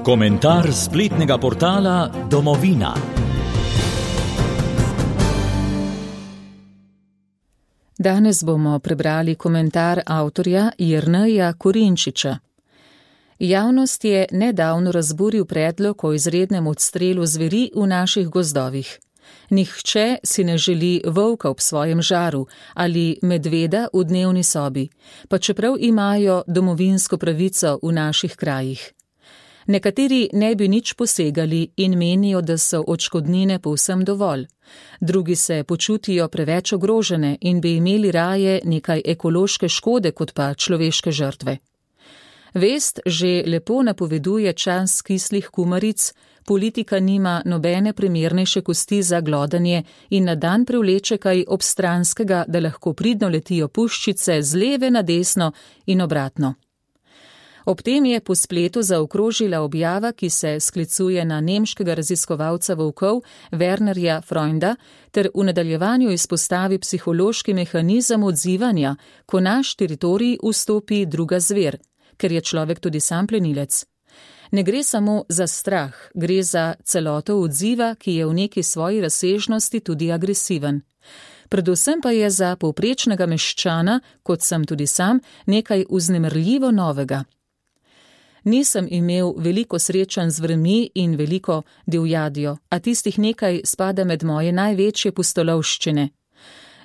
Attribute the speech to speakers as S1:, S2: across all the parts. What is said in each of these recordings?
S1: Komentar spletnega portala Domovina.
S2: Danes bomo prebrali komentar avtorja Jerneja Korinčiča. Javnost je nedavno razburil predlog o izrednem odstrelu zveri v naših gozdovih. Nihče si ne želi volka ob svojem žaru ali medveda v dnevni sobi, pa čeprav imajo domovinsko pravico v naših krajih. Nekateri ne bi nič posegali in menijo, da so odškodnine povsem dovolj. Drugi se počutijo preveč ogrožene in bi imeli raje nekaj ekološke škode kot pa človeške žrtve. Vest že lepo napoveduje čas kislih kumaric, politika nima nobene primernejše kosti za glodanje in na dan privleče kaj obstranskega, da lahko pridno letijo puščice z leve na desno in obratno. Ob tem je po spletu zaokrožila objava, ki se sklicuje na nemškega raziskovalca volkov Wernerja Freunda ter v nadaljevanju izpostavi psihološki mehanizem odzivanja, ko naš teritorij vstopi druga zver, ker je človek tudi sam plenilec. Ne gre samo za strah, gre za celoto odziva, ki je v neki svoji razsežnosti tudi agresiven. Predvsem pa je za povprečnega meščana, kot sem tudi sam, nekaj vznemirljivo novega. Nisem imel veliko srečanj z zvermi in veliko divjadjo, a tistih nekaj spada med moje največje pustolovščine.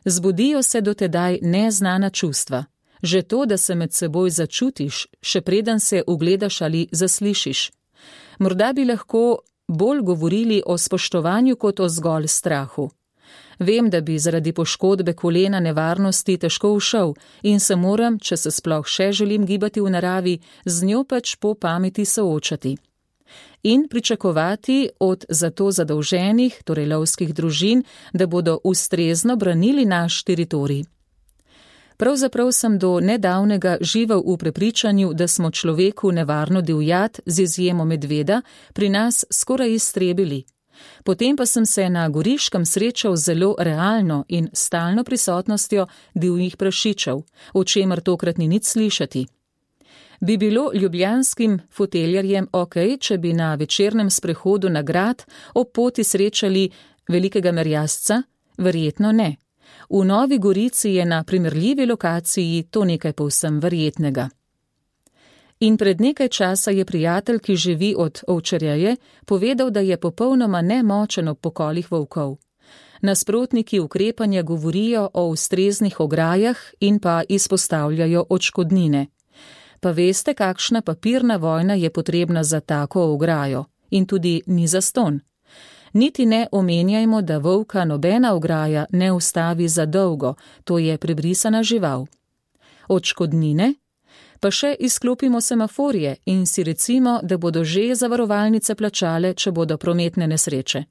S2: Zbudijo se dotedaj neznana čustva. Že to, da se med seboj začutiš, še preden se ugledaš ali zaslišiš. Morda bi lahko bolj govorili o spoštovanju kot o zgolj strahu. Vem, da bi zaradi poškodbe kolena nevarnosti težko ušel in se moram, če se sploh še želim gibati v naravi, z njo pač po pameti soočati. In pričakovati od za to zadolženih, torej lovskih družin, da bodo ustrezno branili naš teritorij. Pravzaprav sem do nedavnega živel v prepričanju, da smo človeku nevarno divjad, z izjemo medveda, pri nas skoraj iztrebili. Potem pa sem se na Goriškem srečal zelo realno in stalno prisotnostjo divjih prašičev, o čemer tokrat ni nič slišati. Bi bilo ljubljanskim foteljarjem okej, če bi na večernem sprehodu na grad ob poti srečali velikega merjasca? Verjetno ne. V Novi Gorici je na primerljivi lokaciji to nekaj povsem verjetnega. In pred nekaj časa je prijatelj, ki živi od ovčarjeje, povedal, da je popolnoma nemočen ob pokolih volkov. Nasprotniki ukrepanja govorijo o ustreznih ograjah in pa izpostavljajo odškodnine. Pa veste, kakšna papirna vojna je potrebna za tako ograjo in tudi ni zastonj. Niti ne omenjajmo, da volka nobena ograja ne ustavi za dolgo, to je prebrisana žival. Odškodnine? Pa še izklopimo semaforje in si recimo, da bodo že zavarovalnice plačale, če bodo prometne nesreče.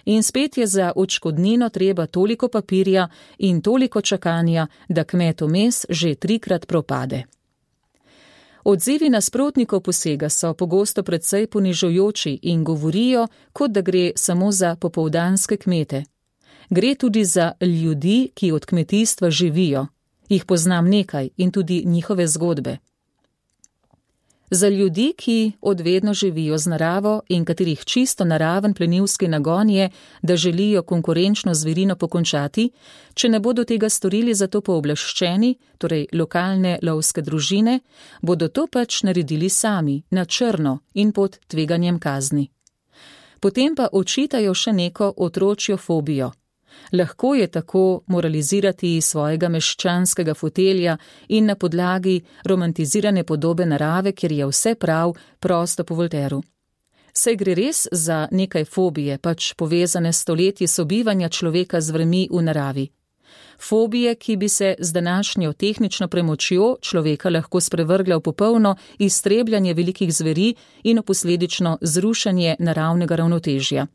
S2: In spet je za odškodnino treba toliko papirja in toliko čakanja, da kmet vmes že 3-krat propade. Odzivi nasprotnikov posega so pogosto precej ponižujoči in govorijo, kot da gre samo za popoldanske kmete. Gre tudi za ljudi, ki od kmetijstva živijo. Jih poznam nekaj in tudi njihove zgodbe. Za ljudi, ki odvedno živijo z naravo in katerih čisto naraven plenilski nagon je, da želijo konkurenčno zverino pokončati, če ne bodo tega storili za to pooblaščeni, torej lokalne lovske družine, bodo to pač naredili sami, na črno in pod tveganjem kazni. Potem pa očitajo še neko otročjo fobijo. Lahko je tako moralizirati svojega meščanskega fotelja in na podlagi romantizirane podobe narave, kjer je vse prav, prosto po Voltairu. Saj gre res za nekaj fobije, pač povezane s stoletji sobivanja človeka z zvermi v naravi. Fobije, ki bi se z današnjo tehnično premočjo človeka lahko sprevrgla v popolno iztrebljanje velikih zveri in posledično zrušanje naravnega ravnotežja.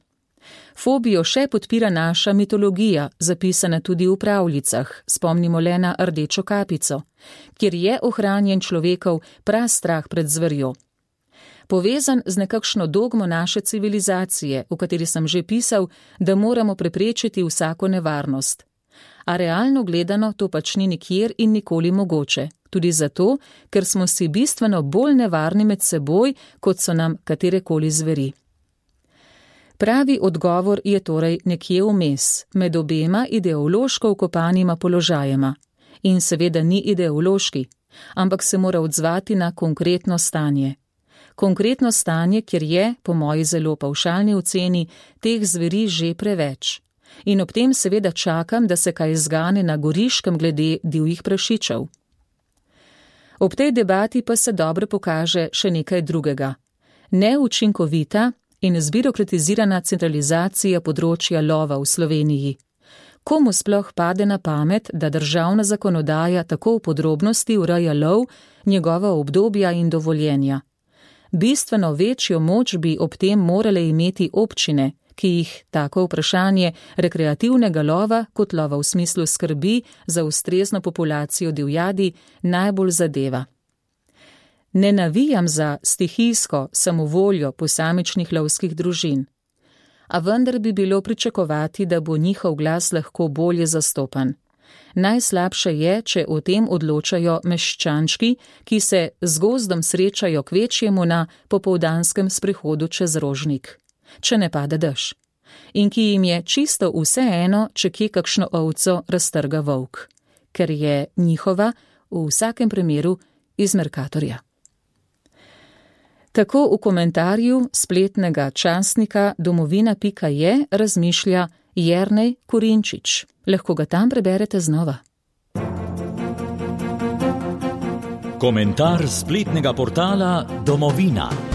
S2: Fobijo še podpira naša mitologija, zapisana tudi v pravljicah, spomnimo le na Rdečo kapico, kjer je ohranjen človekov prastrah pred zverjo. Povezan z nekakšno dogmo naše civilizacije, v kateri sem že pisal, da moramo preprečiti vsako nevarnost. A realno gledano to pač ni nikjer in nikoli mogoče, tudi zato, ker smo si bistveno bolj nevarni med seboj, kot so nam katerekoli zveri. Pravi odgovor je torej nekje vmes, med obema ideološko vkopanima položajema. In seveda ni ideološki, ampak se mora odzvati na konkretno stanje. Konkretno stanje, kjer je, po moji zelo pavšalni oceni, teh zveri že preveč. In ob tem seveda čakam, da se kaj zgane na Goriškem glede divjih prašičev. Ob tej debati pa se dobro pokaže še nekaj drugega. Neučinkovita in zbirokratizirana centralizacija področja lova v Sloveniji. Komu sploh pade na pamet, da državna zakonodaja tako v podrobnosti ureja lov, njegova obdobja in dovoljenja? Bistveno večjo moč bi ob tem morale imeti občine, ki jih tako vprašanje rekreativnega lova kot lova v smislu skrbi za ustrezno populacijo divjadi najbolj zadeva. Ne navijam za stihijsko samovoljo posamičnih lovskih družin, a vendar bi bilo pričakovati, da bo njihov glas lahko bolje zastopan. Najslabše je, če o tem odločajo meščančki, ki se z gozdom srečajo kvečjemu na popoldanskem sprehodu čez Rožnik, če ne pada dež, in ki jim je čisto vseeno, če kje kakšno ovco raztrga volk, ker je njihova v vsakem primeru iz Mercatorja. Tako v komentarju spletnega časnika domovina.je razmišlja Jernej Korinčič. Lahko ga tam preberete znova.
S1: Komentar spletnega portala Domovina.